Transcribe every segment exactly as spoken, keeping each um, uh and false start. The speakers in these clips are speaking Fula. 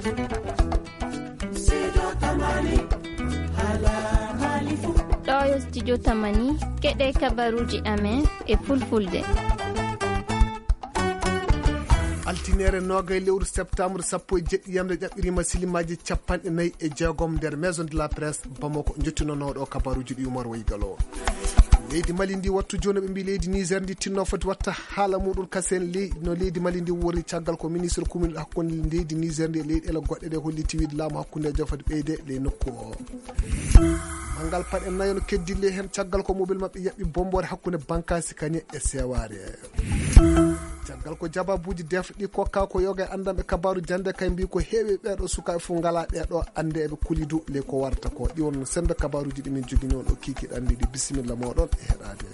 Ɗo yo studio Tamani, keɗe kabaruuji amen e fulfulde. Altineere noogay lewru septembre sappo e jeɗɗi yamre ƴaɓɓiriima silimaaji capanɗe nayi e jeegom nder Maison de la Presse Bamako, njottinonooɗo kabaruuji ɗi Umar Waygalo. Leydi Mali ndi wattu jooni ɓe mbi leydi Niger ndi tinno foti watta haala muɗum kasen ley-, no leydi Mali ndi wori caggal ko ministre kumin hakkunde leydi Niger ndi e leyɗeele goɗɗe ɗe holliti wiide laamu hakkundejo foti ɓeyde ley nokku o. Manngal paɗe nayo no keddille heen caggal ko mobile maɓɓe yaɓɓi bomboore hakkunde Bankasi Kañe e Seware. Caggal ko jababuuji defɗi kokka ko yoga e anndanɓe kabaaru jannde kay mbi ko heewi ɓeeɗo sukaaɓe fof ngalaa ɗeeɗo annde eɓe kuli du ley ko warata ko. Ɗi won sembe kabaaruuji ɗi min jogini on o kiikiiɗe anndi ɗi. Bisimilla mooɗon e heɗaade.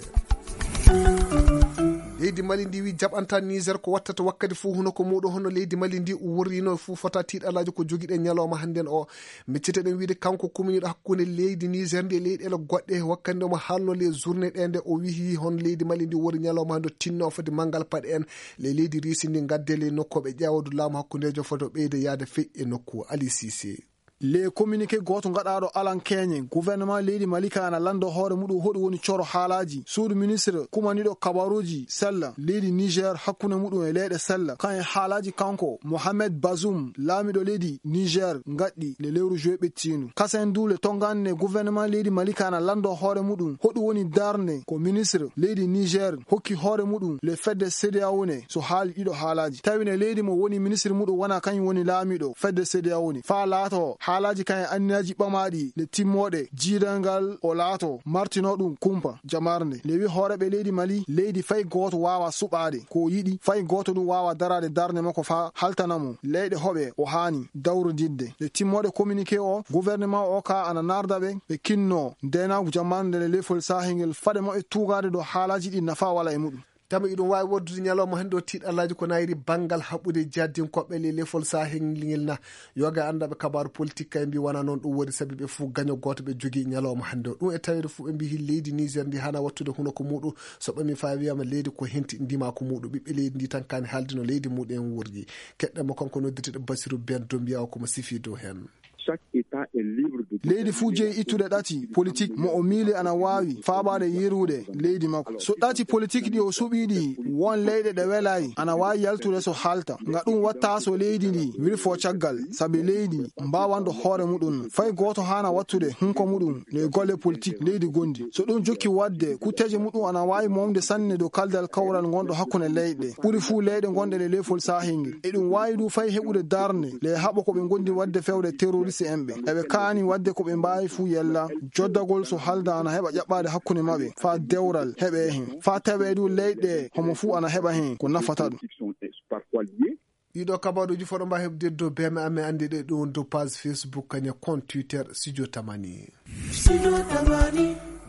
Leydi Mali ndi wi jaɓanta Niger ko wattata wakkati fof huno ko muuɗum hono leydi Mali ndi worrino fof fota tiiɗalaaji ko jogiɗen ñalawma hannden o. Micciteɗen wiide kanko kuminiiɗo hakkunde leydi Niger ndi e leyɗeele goɗɗe wakkati nde omo haalno les journée ɗe nde o wihi hono leydi Mali ndi wori ñalawma hannde o tinno foti manngal paɗe en le leydi Risi ndi ngadde le nokkooɓe ƴeewadu laamu hakkundejo foti o ɓeyde yaade fey e nokku Ali Sise. Le communiqué gooto gaɗaaɗo Alan Keñe, gouvernement leydi Mali ka ana lanndo hoore muɗum hoɗum woni coro haalaaji suudu ministre kumaniiɗo kabaruuji sella leydi Niger hakkunde muɗum e leyɗe sella kan e haalaaji kanko Mohamed Bazoum laamiɗo leydi Niger gaɗɗi le lewru juillet ɓettiindu. Kasen du le tongande gouvernement leydi Mali ka ana lanndo hoore muɗum hoɗum woni darnde ko ministre leydi Niger hokki hoore muɗum le fedde CEDEAO ne so haali ɗiɗo haalaaji. Tawi ne leydi mo woni ministre muɗum wona kañum woni laamiɗo fedde CEDEAO ne. Faa laato haalaaji kan e anniyaaji ɓamaaɗi le timmooɗe jiidangal o laato martino ɗum kumpa jamarnde. Le wi hooreɓe leydi Mali leydi fay gooto waawa suɓaade ko o yiɗi, fay gooto ɗum waawa daraade darnde makko faa haltana mo leyɗe hoɓe o haani dawrodidde. Le timmooɗe communiqué o, gouvernement o ka ana narda ɓe, ɓe kinno ndeenaagu jamarnde le lefol saahel ngel fade mo e tuugaade ɗo haalaaji ɗi nafa wala e muɗum. Tama iɗum waawi woddude ñalawma hannde o tiiɗalaaji ko nayri banngal haɓɓude jihadinkoɓe le lefol saahel ngel na. Yoga anndaɓe kabaaru politique kay mbi wona noon ɗum woni sabi ɓe fof gaño gooto ɓe jogii ñalawma hannde o. Ɗum e tawede fof ɓe mbi leydi Niger ndi hana wattude huno ko muɗum so ɓami faa wiyama leydi ko henti ndima ko muɗum. Ɓiɓɓe leydi ndi tan kani haalde no leydi muɗum en worri. Keɗɗen mo kanko noddirteɗo Basiru Ben Dombiyawa ko mo sifi dow heen. Chaque État est libre de Leydi fuu jeyi ittude ɗati politique mo o miili ana waawi faabaade yerude leydi makko. So ɗati politique ɗi o suɓii ɗi, won leyɗe ɗe welaay, ana waawi yaltude so haalta. Nga ɗum watta so leydi ndi wilfo caggal, sabi leydi mbaawanɗo hoore muɗum. Fay gooto haana wattude hunko muɗum ley golle politique leydi gondi. So ɗum jokki waɗde, kutteeje muɗum ana waawi momde sanne dow kaldal kawral ngonɗo hakkunde leyɗe. Ɓuri fuu leyɗe ngonɗe ɗe ley fol saahel ngel. Eɗum waawi du fay heɓude darnde le haɓa ko ɓe ngondi waɗde fewde terroriste en ɓe. Eɓe kaani waɗde ko ɓe mbaawi fuu yella joddagol so halda ana heɓa ƴaɓɓaade hakkunde maɓɓe faa dewral heɓe heen. Faa tawee du leyɗe homo fuu ana heɓa heen ko nafata ɗum. Ɗiɗo kabaruuji fof ɗo mbaawi heɓde dow B M A, mi anndi ɗe ɗum dow page Facebook, kañum compte Twitter, Studio Tamani.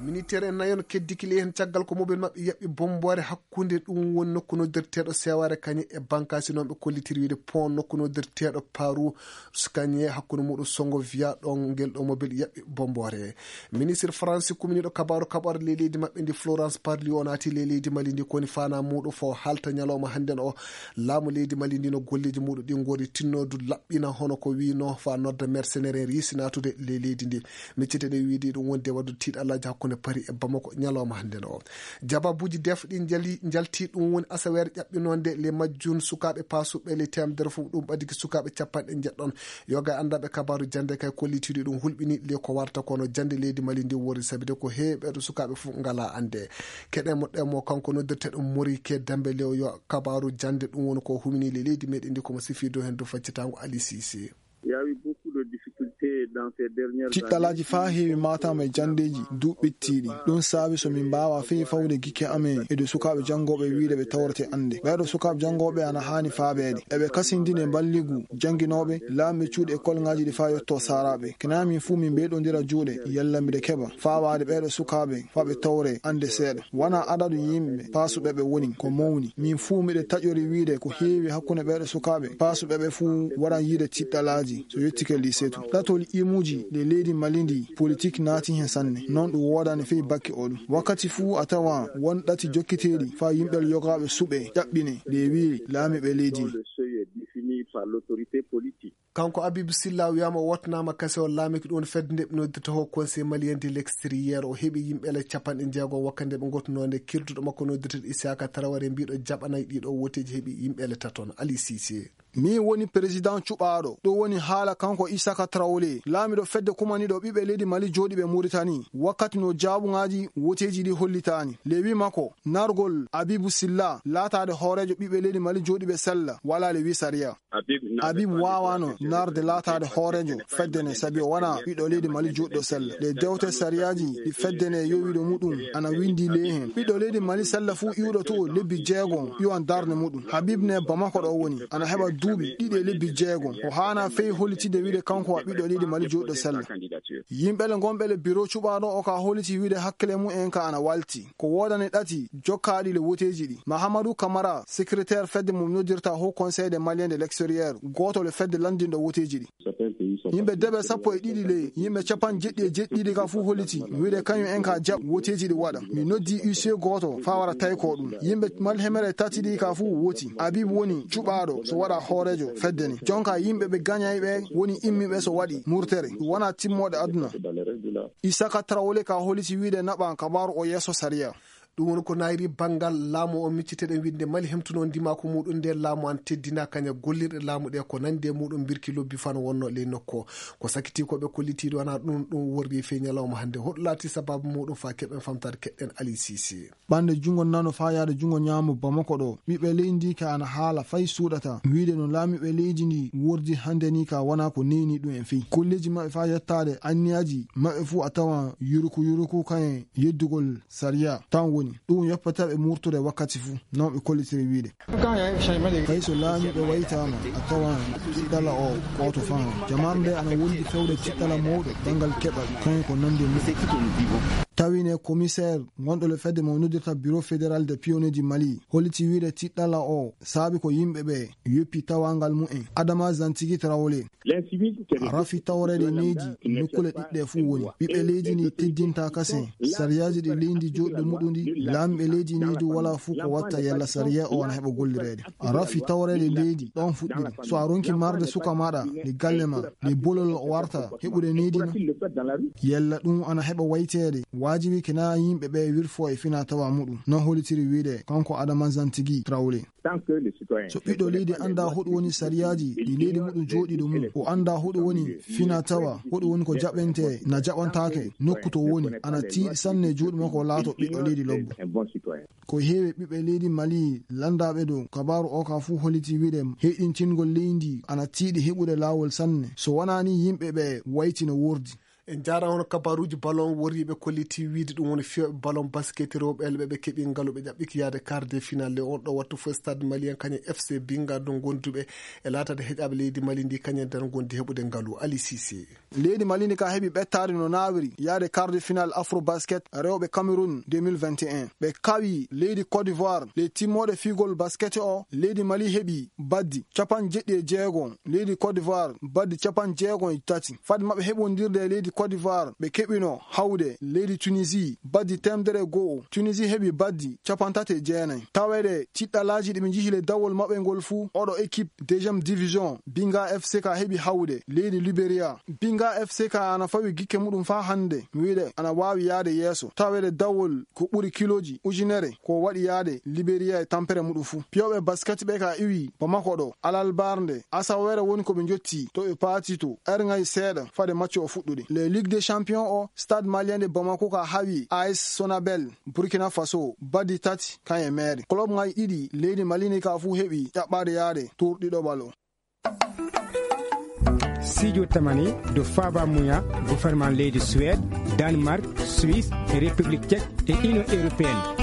Ministère en nayon keddikili heen caggal ko mobile maɓɓe yaɓɓi bomboore hakkunde ɗum woni nokku noddirteeɗo Seware kañum e bankaasi noon ɓe kollitiri wiide pont nokku noddirteeɗo Paru Skagne hakkunde muɗum Songo Via ɗon ngel ɗo mobile yaɓɓi bomboore. Ministre Faransi kuminiiɗo kabaaru kaɓorɗe ley leydi maɓɓe ndi Florence Parly o naati ley leydi Mali ndi koni fana muɗum fo halta ñalawma hannden o. Laamu leydi Mali ndi no golleeji muɗum ɗi ngori tinnodu laɓɓina hono ko wino fa nodda mercenaire en riisi naatude ley leydi ndi. Miccete ɗe wiide ɗum wonde waɗu tiiɗalaaji hakkunde Paris e Bamako ñalawma hannden o. Jababuuji def ɗi njali, njalti ɗum woni asaweere ƴaɓɓinonde le majjun sukaaɓe paasuɓe le temedere fof ɗum ɓadiki sukaaɓe capanɗe njeɗɗon. Yoga e anndaɓe kabaaru jannde kay kollitiri ɗum hulɓini le ko warta kono jannde leydi Mali ndi wori sabide ko heewi ɓeeɗo sukaaɓe fof ngala annde. Keɗen mo ɗen mo kanko noddirteɗo Mori ke Dembe Lew yo kabaaru jannde ɗum woni ko humini le leydi meɗen ndi komo sifi dow hen dow faccitango Ali Sisi. Il y a eu beaucoup de difficultés dans ces dernières années. Tiɗɗalaaji faa heewi maatama e janndeeji duuɓi ɓittiiɗi. Ɗum saabi so min mbaawa fii fawde gikke amen e dow sukaaɓe janngooɓe wiide ɓe tawrete annde. Ɓeeɗo sukaaɓe janngooɓe ana haani faabeede. Eɓe kasindini e mballigu jannginooɓe, laamɓe cuuɗi e kolŋaaji ɗi faa yotto saaraaɓe. Kina min fuu min mbeyɗondira juuɗe, yalla mbiɗa keɓa faawaade ɓeeɗo sukaaɓe faa ɓe tawre annde seeɗa. Wona adadu yimɓe paasuɓe ɓe woni ko mawni. Min fuu miɗo taƴori wiide ko heewi hakkunde ɓeeɗo sukaaɓe paasuɓe ɓe fuu waran yiide tiɗɗalaaji so yettike lycée to. Ɗatol imuuji ɗe leydi Mali ndi politik naati hen sanne. Noon ɗum woodani fii bakke o ɗum. Wakkati fuu a tawa won ɗati jokkiteeɗi faa yimɓe yogaaɓe suɓe ƴaɓɓine ɗe wiiri laamiiɓe leydi ndi. Défini par l'autorité politique. Kanko Abibu Silla wiyaama o wottanaama kase o laamiki ɗum fedde nde ɓe noddirta Haut Conseil Malien de l'Extérieur. O heɓi yimɓe ele capanɗe jeego wakkati nde ɓe ngottunoo nde kirduɗo makko noddirteeɗo Isaka Traoré mbiiɗo jaɓanay ɗiɗo woteeji heɓi yimɓe ele taton. Ali Cissé. Min woni président cuɓaaɗo. Ɗum woni haala kanko Isaka Traoré, laamiɗo fedde kumaniɗo ɓiɓɓe leydi Mali jooɗiiɓe Mauritanie, wakkati no jaabuŋaaji woteeji ɗi hollitaani. Le wi makko, nargol Abibu Silla laataade hooreejo ɓiɓɓe leydi Mali jooɗiiɓe sella, wala le wi sariya. Habib waawano narde laataade hooreejo fedde nde, sabi o wona ɓiɗɗo leydi Mali jooɗiiɗo sella. Ɗe dewte sariyaaji ɗi fedde nde yowiiɗo muɗum ana winndi ley heen. Ɓiɗɗo leydi Mali sella fuu iwɗo to lebbi jeego iwan darnde muɗum. Habib ne Bamako ɗo woni, ana heɓa duuɓi ɗiɗi e lebbi jeego. O haana fey hollitide wiide kanko wa ɓiɗɗo leydi Mali jooɗiiɗo sella. Yimɓe le ngonɓe le biro cuɓaaɗo o ka holliti wiide hakkile mum en ka ana walti. Ko woodani ɗati jokkaaɗi le woteeji ɗi. Mahamadou Camara, secrétaire fedde mo noddirta Haut Conseil des Maliens de l'Extérieur, gooto le fedde lanndinɗo woteeji ɗi. Yimɓe deɓe sappo e ɗiɗi ley yimɓe capanɗe jeɗɗi e jeɗɗiɗi ka fuu holliti wiide kañum en ka jaɓ woteeji ɗi waɗa. Mi noddi huissier gooto faa wara taykoo ɗum. Yimɓe malhemere tati ɗi ka fuu woti. Habib woni cuɓaaɗo so waɗa hooreejo fedde ni. Jonka yimɓe ɓe gañay ɓe woni immiiɓe so waɗi murtere. Ɗum wona timmooɗe aduna. Isaka Traoré ka holliti wiide naɓan kabaaru o yeeso sariya. Ɗum woni ko naayri banngal laamu o micciteɗen wiide nde Mali hemtunoo ndimaaku muɗum nde laamu an teddinaa kaña gollirɗe laamu ɗe ko nandi e muɗum mbirki lobbi fano wonno ley nokku o. Ko sakitii ko ɓe kollitii ɗo ana ɗum ɗum worri fey ñalawma hannde. Hoɗum laati sabaabu muɗum faa keɓen famtaade keɗɗen Ali Cissé. Ɓannde junngo nano faa yaade junngo ñaamo Bamako ɗo, ɓiɓɓe leydi ndi ka ana haala fay suuɗata. Wiide no laamiiɓe leydi ndi wordi hannde ni ka wona ko neyni ɗum en fey. Kolleeji maɓɓe faa yettaade anniyaaji maɓɓe fuu a tawan yuruku yuruku kañe yeddugol sariya tan woni. Ɗum yoppata ɓe murtude wakkati fuu, non ɓe kollitiri wiide. Kay so laamiiɓe waytaama, a tawan tiɗɗala o gooto fan. Jamaare nde ana wondi fewde tiɗɗala mawɗo banngal keɓal, kañum ko nandi e muɗum. Tawi ne commissaire gonɗo le fedde mo noddirta Bureau Fédéral des Pionniers du Mali, holliti wiide tiɗɗala o saabi ko yimɓe ɓe yoppi tawangal mumen. Adama Zantigi Traoré. Rafi tawreede leydi nokkule ɗiɗɗe fuu woni. Ɓiɓɓe leydi ndi teddinta kasen sariyaaji ɗi leydi jooɗɗo muɗum ndi. Laamiiɓe leydi ndi du wala fuu ko watta yalla sariya o ana heɓa gollireede. Rafi tawreede leydi ɗon fuɗɗiri. So a ronki marde suka maɗa, ɗi galle ma, ɗi bolol o warta heɓude neydi na? Yalla ɗum ana heɓa wayteede. Waajibi kina yimɓe ɓe wirfo e fina tawa muɗum. Non hollitiri wiide kanko Adama Zantigi Traoré. So ɓiɗɗo leydi annda hoɗum woni sariyaaji ɗi leydi muɗum jooɗiiɗo mum, o annda hoɗum woni fina tawa, hoɗum woni ko jaɓente, na jaɓantaake, nokku to woni, ana tiiɗi sanne juuɗe makko laato ɓiɗɗo leydi lobbo. Ko heewi ɓiɓɓe leydi Mali lanndaaɓe dow kabaaru o ka fuu holliti wiide heyɗintingol leydi ana tiiɗi heɓude laawol sanne. So wonaa ni yimɓe ɓe wayti no wordi. En njaaraama hono kabaaruuji ballon worriiɓe kolliti wiide ɗum woni fiyooɓe ballon basket rewɓe elɓe ɓe keɓi ngalu ɓe ƴaɓɓiki yaade quart de finale on ɗo wattu fof stade malien kañum F C Binga ɗum gonduɓe e laataade heƴaaɓe leydi Mali ndi kañum nder gondi heɓude ngalu Ali Cissé. Leydi Mali ndi ka heɓi ɓettaade no naawiri yaade quart de finale Afro Basket rewɓe Cameroun deux mille vingt et un. Ɓe kawi leydi Côte d'Ivoire le timmooɗe fiigol basket o leydi Mali heɓi baddi capanɗe jeɗɗi e jeego. Leydi Côte d'Ivoire baddi capanɗe jeego e tati. Fade maɓɓe heɓondirde e leydi Côte d'Ivoire, ɓe keɓino hawde leydi Tunisie baddi temedere e go'o. Tunisie heɓi baddi capanɗe tati e jeenayi. Taweede tiɗɗalaaji ɗi ɓe njihi le dawol maɓɓe ngol fuu, oɗo équipe deuxième division, Binga F C ka heɓi hawde leydi Liberia. Binga F C ka ana fawi gikke muɗum faa hannde, mi wiide ana waawi yaade yeeso. Taweede dawol ko ɓuri kilooji ujunere ko waɗi yaade Liberia e tampere muɗum fuu. Piyooɓe basket ɓe ka iwi Bamako ɗo, alalbarnde, asaweere woni ko ɓe njotti to ɓe paati to, erŋay seeɗa fade macco o fuɗɗude. Le Ligue des Champions o, Stade Malien de Bamako ka hawi A S Sonabel, Burkina Faso, baddi tati, kañe meere. Club ŋay ɗiɗi leydi Mali ni ka fuu heɓi ƴaɓɓaade yaade tour ɗiɗo balo. Sijo tamani do faba muya gouvernement leydi Suède, Danemark, Suisse e République Tchèque e Union Européenne.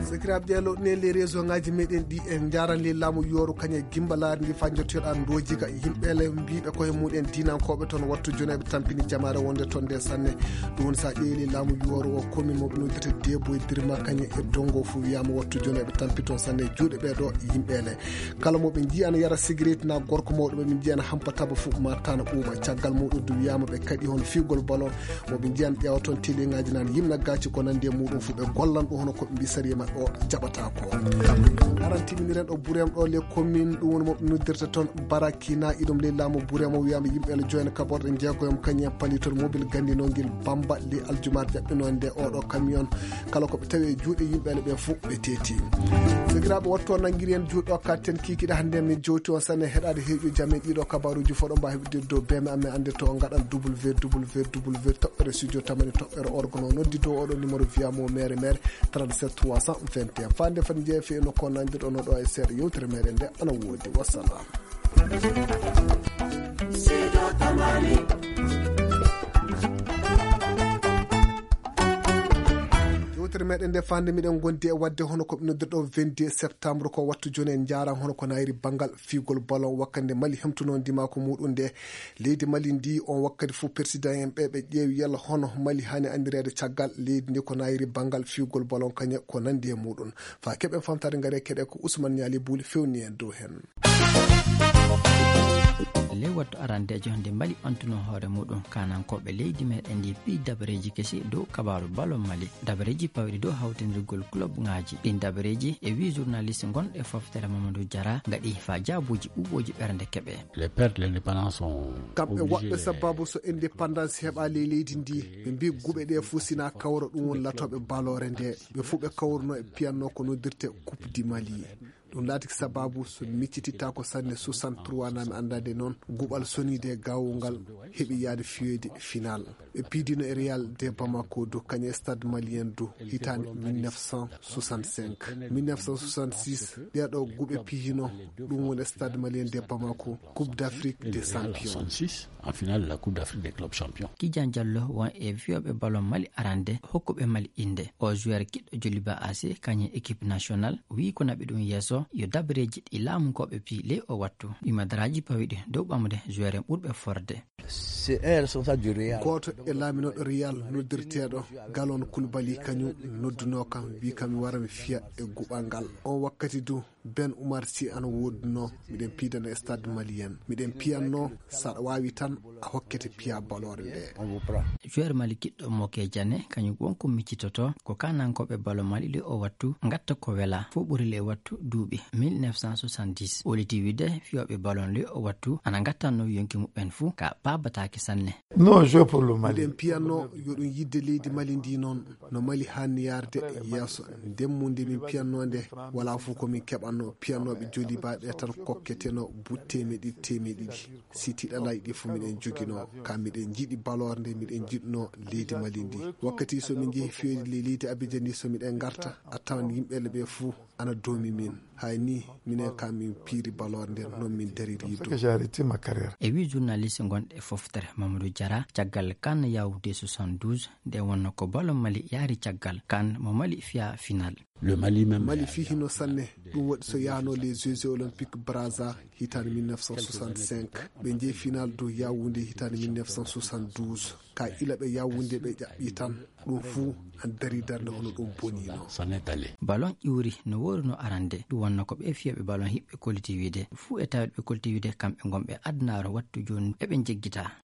Sakiraaɓe ƴeelo ne les réseau ngaji meɗen ɗi en njaran le laamu yooru kañe gimbalaari ndi fa jottoɗa ndoji ka yimɓe le mbiɓe koye muɗen dinankooɓe toon wattu joneeɓe tampini jamaare wonde toon nde sanne. Ɗum woni sa ƴeewi le laamu yooru o commune mo ɓe noddirta Deboye Birma kañe e Dongo fo wiyama wattu joneeɓe tampi toon sanne juuɗe ɓe ɗo yimɓe le. Kala mo ɓe njiya na yara sigaret na gorko mawɗo ɓe min njiya na hampa taba fuu ma tana ɓuuɓa. Caggal muɗum du wiyama ɓe kaɗi hono fiigol ballon mo ɓe njiyan ƴeewa toon télé ngaji nan yimna gaci ko nandi e muɗum fuu ɓe gollan ɗum hono ko ɓe mbi sariya maɓɓe. O jaɓata ko. Aran timiniren ɗo Burem ɗo, les communes, ɗum woni mo ɓe noddirta toon Barakina, iɗum ley laamu Burem o. Wiyama yimɓe ele joyna kaɓorɗe jeegoyam, kañum en pali toon mobil gandinogel Bamba ley aljumar jaɓɓinoo nde. Oɗo camion, kala ko ɓe tawi e juuɗe yimɓe ele ɓe fof ɓe teeti. Sakiraaɓe, wattu o nanngiri en juuɗe o, katten kiikiɗe hannde. Min jowti on sanne heɗaade heeƴuji amen ɗiɗo kabaruuji fof ɗo mbaawi heɓde dow B M amen annde to ngaɗal W W W toɓɓere studio tamani toɓɓere org no noddi dow oɗo numéro via mo mere mere trente-sept trois cent vingt et un. Faande fati jeefe no ko nandirɗo no ɗo e seeɗa yewtere meɗen nde ana woodi. Wassalam. Yewtere meɗen nde fande miɗen gondi e wadde hono ko ɓe noddirɗo vingt-deux septembre ko wattu joni en njaran hono ko nayri bangal fiigol ballon wakkande Mali hemtuno ndimaaku muɗum nde. Leydi Mali ndi on wakkati fof président en ɓe ɓe ƴeewi yalla hono Mali hani andireede caggal leydi ndi ko nayri bangal fiigol ballon kañe ko nandi e muɗum. Fa keɓen famtare ngare keɗe ko Ousmane Niali Bouli fewni en dow hen. Ley wattu arandeejo nde Mali ɓantuno hoore muɗum kanankooɓe leydi meɗen ndi piyi dabareeji kesi dow kabaaru ballon Mali. Dabareeji pawiɗi dow hawtindirgol club ŋaaji. Ɗin dabareeji e wii journaliste gonɗo e foftere Mamadou Diarra ngaɗi fa jaabuuji ɓuuɓooji ɓernde keɓe. Les pères de l'indépendance sont Kamɓe obligés waɗɓe de sababu so indépendance heɓa ley leydi ndi, ɓe mbi guɓe ɗe fof sina kawra ɗum woni latooɓe baloore nde. Ɓe fof ɓe kawruno e piyanno ko noddirte Coupe du Mali. Ɗum laati sababu so miccititta ko sanne soixante-trois nami andade noon guɓal sonide gawungal heɓi yaade fiyoyde final. Ɓe piidino e Real de Bamako du kañe stade malien du hitande mille neuf cent soixante-cinq. Mille neuf cent soixante-six ɗeɗo guɓe piyino ɗum woni stade malien de Bamako Coupe d'Afrique des champions. En finale de la Coupe d'Afrique des clubs champions. Kijan Diallo won e fiyoɓe ballon Mali arande hokkuɓe Mali inde. O joueur kiɗɗo Joliba A C kañum équipe nationale wi ko naɓi ɗum yeeso yo dabareeji ɗi laamunkooɓe piyi ley o wattu. Ɗi madaraaji pawiɗi dow ɓamude joueur en ɓurɓe forde. C'est un responsable du Real. Gooto e laaminooɗo Real noddirteeɗo Galon Koulibaly kañum nodduno kam wi kam mi wara mi fiya e guɓal ngal. On wakkati du Ben Oumar Sy ana woodunoo, miɗen piidana e stade malien. Miɗen piyannoo, so aɗa waawi tan, a hokkete piya baloore nde. Joueur Mali kiɗɗo Moke Diané, kañum won ko miccitoto, ko kaanankooɓe ballon Mali ɗi o wattu, ngatta ko wela, fof ɓuri le wattu duuɓi mille neuf cent soixante-dix. O liti wiide, fiyooɓe ballon ɗi o wattu, ana ngattanno yonki muɓɓen fuu, ka paabataake sanne. Non, jouer pour le Mali. Miɗen piyannoo, yo ɗum yiɗde leydi Mali ndi noon. No Mali haanni yaarde yeeso. Ndemmu nde min piyannoo nde, walaa fof ko min keɓannoo. Piyannooɓe Joliba ɓe tan kokketeno butte teemeɗe ɗiɗi, teemeɗe ɗiɗi. Si tiiɗalaaji ɗi fof miɗen njoginoo. Ka miɗen njiɗi baloore nde, miɗen njiɗnoo leydi Mali ndi. Wakkati so min njehi fiyoyde ley leydi Abidjan ndi, so miɗen ngarta, a tawan yimɓe ɓe fof ana doomi min. Hay ni, minen kam min piiri baloore nden, non min dariri dow. J'ai arrêté ma carrière. E wi journaliste gonɗo e foftere Mamadou Diarra, caggal kan Yaoundé soixante-douze, nde wonno ko ballon Mali yaari caggal kan mo Mali fiya final. Le Mali même. Mali fii hino sanne, ɗum waɗi so yahno les Jeux Olympiques Brazza hitande mille neuf cent soixante-cinq. Ɓe njehi final dow Yaoundé hitande mille neuf cent soixante-douze. Ka ila ɓe Yaoundé ɓe ƴaɓɓi tan, ɗum fuu an dari darnde hono ɗum boniino. Ballon ƴuuri no wooruno arande, ɗum wonno ko ɓe fiyooɓe ballon hiɓɓe kolliti wiide. Fuu e tawde ɓe kolliti wiide kamɓe ngonɓe adunaaru wattu jooni eɓe njeggita.